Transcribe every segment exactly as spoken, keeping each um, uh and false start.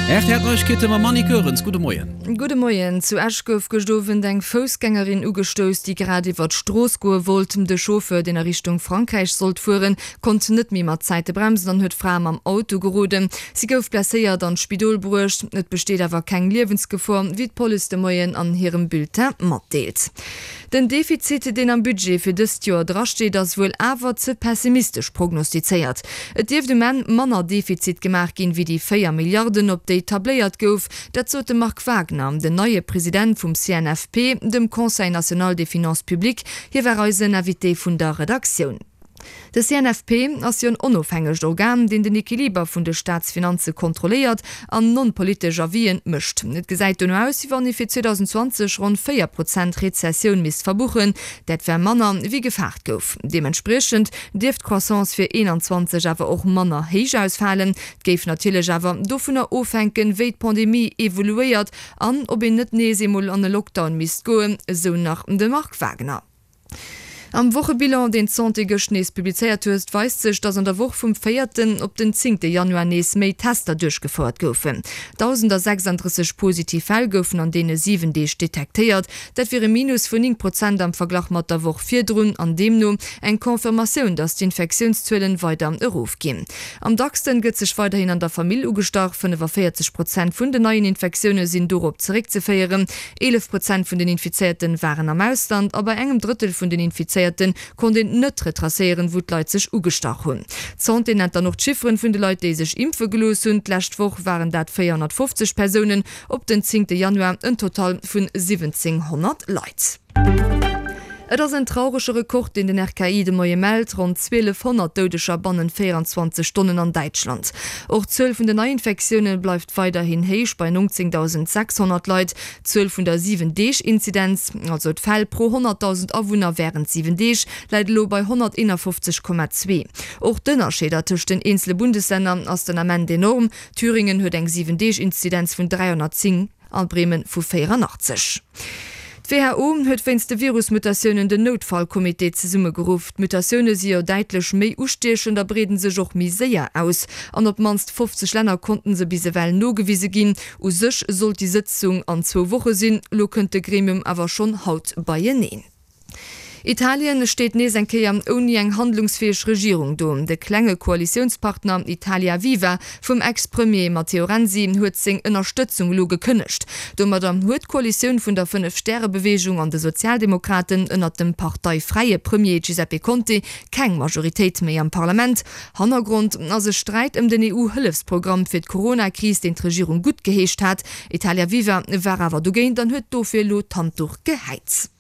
R T L Neiegkeete mam Annick Goerens. Gudde Moien. Gudde Moien. Zu Esch gouf gëscht Owend eng Foussgängerin ugestouss, déi grad iwwer d'Strooss goe wollt. De Chauffeur, deen a Richtung Frankräich sollt fueren, konnt net méi mat Zäite bremsen an huet d'Fra mam Auto geroden. Si gouf blesséiert an d'Spidol bruecht. Et besteet awer keng Liewensgefor, wéi d'Police de Moien an hirem Bulletin matdeelt. Den Defizit, deen am Budget fir dëst Joer drasteet, ass wuel awer ze pessimistesch prognostizéiert. Et dierft um Enn manner Defizit gemaach ginn, wéi déi véier Milliarden, op déi tabléiert gouf. Dat sot de Marc Wagner, den neie President vum C N F P, dem Conseil national des finances publiques. Hie war eisen Invité vun der Redaktioun. De C N F P ass jo en onofhängegt Organ, deen den Equiliber vun de Staatsfinanze kontrolléiert an non-politesch Avisen mécht. Et gesäit dono aus, wéi wann ee fir zweedausendenzwanzeg ronn véier Prozent Rezessioun misst verbuchen, dat wär manner, wéi gefaart gouf. Deementspriechend dierft d'Croissance fir eenanzwanzeg awer och manner héich ausfalen. Et géif natierlech awer dovunner ofhänken, wéi d'Pandemie evoluéiert an ob een net nees eemol an e Lockdown misst goen, esou nach de Marc Wagner. Am Wochebilan, deen d'Santé gëscht nees publizéiert huet, weist sech, datt an der Woch vum véierten op den zéngte Januar nees méi Tester duerchgefouert goufen. dausendasechsanddrësseg positiv Fäll goufen an deene siwen Deeg detektéiert. Dat wier e Minus vun néng Prozent am Verglach mat der Woch virdrun an deemno eng Confirmatioun, datt d'Infektiounszuelen weider erofginn. Am dacksten gëtt sech weiderhin an der Famill ugestach, fënnefavéierzeg Prozent vun den neien Infektioune sinn dorop zeréckzeféieren. Eelef Prozent vun den Infizéierten waren am Ausland a bei engem Drëttel vun den Infizéierten konnt een net retracéieren, wou d'Leit sech ugestach hunn. D'Santé nennt dann och d'Chifferen vun de Leit, déi sech impfe gelooss hunn. D'lescht Woch waren dat véierhonnertfofzeg Persounen, op den zéngte Januar en Total vun siwwenzénghonnert Leit. Et ass en traurege Rekord, deen den R K I de Moie mellt, ronn zwielefhonnert Doudeger bannent véierenzwanzeg Stonnen an Däitschland. Och d'Zuel vun den Neiinfektioune bleift weiderhin héich bei nongzéngdausendsechshonnert Leit. D'Zuel vun der Siwen-Deeg-Inzidenz, also d'Fäll pro honnertdausend Awunner wärend siwen Deeg, läit elo bei honnerteenafofzeg Komma zwee. Och d'Ënnerscheeder tëscht den eenzele Bundeslänner ass den Ament enorm, Thüringen huet eng Siwen-Deeg-Inzidenz vun dräihonnertzéng a Bremen vu véierannachtzeg. D'W H O huet wéinst de Virusmutatiounen den Noutfallcomité zesummegeruff. D'Mutatioune si jo däitlech méi ustiechend a breeden sech och méi séier aus. An op d'mannst fofzeg Länner konnten se bis ewell nogewise ginn. U sech sollt déi Sëtzung an zwou Woche sinn, elo kënnt de Gremium awer schonn haut beieneen. Italien steet nees eng Kéier ouni eng handlungsfäeg Regierung do. De klenge Koalitiounspartner Italia Viva vum Ex-Premier Matteo Renzi huet seng Ënnerstëtzung elo gekënnegt. Domadder huet d'Koalitioun vun der Fënnef-Stäre-Beweegung an de Sozialdemokraten ënnert dem parteifräie Premier Giuseppe Conte keng Majoritéit méi am Parlament. Hannergrond ass e Sträit ëm den E U-Hëllefsprogramm fir d'Corona-Kris, deen d'Regierung guttgeheescht hat. Italia Viva war awer dogéint an huet dofir elo d'Handduch gehäit.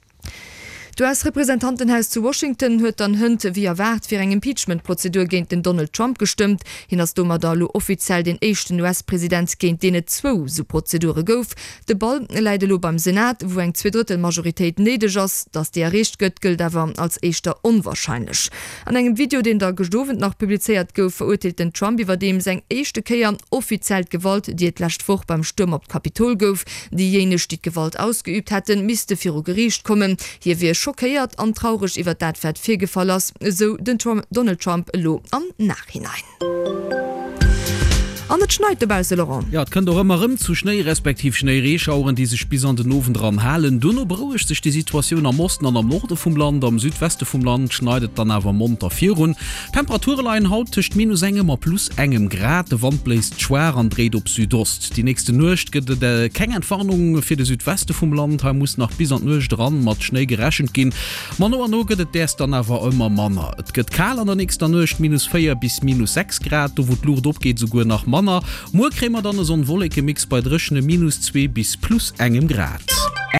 D'U S-Representantenhaus zu Washington huet dann hënt wéi erwaart fir eng Impeachment-Prozedur géint den Donald Trump gestëmmt. Hien ass domadder elo offiziell deen éischten U S-President, géint deen et zwou sou Prozedure gouf. De Ball läit elo beim Senat, wou eng Zweedrëttel-Majoritéit néideg ass. Datt déi erreecht gëtt, gëllt awer als éischter onwarscheinlech. An engem Video, deen da gëscht Owend nach publizéiert gouf, verurteelt den Trump iwwerdeems eng éischte Kéier offiziell d'Gewalt, déi et d'lescht Woch beim Stuerm op d'Kapitol gouf. Déijéineg, déi d'Gewalt ausgeüübt hätten, misste viru Geriicht kommen. Hie wier schockéiert an traureg iwwer dat wat virgefall ass, esou den Donald Trump elo am Nachhinein. An et schneit dobausse, Laurent. Jo, et kënnt och ëmmer erëm zu Schnéi respektiv Schnéireeschaueren, déi sech bis an den Owend eran halen. Dono berouegt sech déi Situatioun am Osten an am Norde vum Land. Am Südweste vum Land schneit et dann awer monter virun. D'Temperature leien haut tëscht minus engem a plus engem Grad. De Wand bléist schwaach an dréit op Südost. Déi nächste Nuecht gëtt et keng Entwarnung fir de Südweste vum Land. Hei muss nach bis an d'Nuecht eran mat Schnéi gerechent ginn. Ma no an no gëtt et däers dann awer ëmmer manner. Et gëtt kal an der nächster Nuecht, minus véier bis minus sechs Grad, do wou d'Luucht opgeet esouguer nach manner. Muer kréie mer dann e Sonn-Wolleke-Mix bei dréchene minus zwee bis plus engem Grad.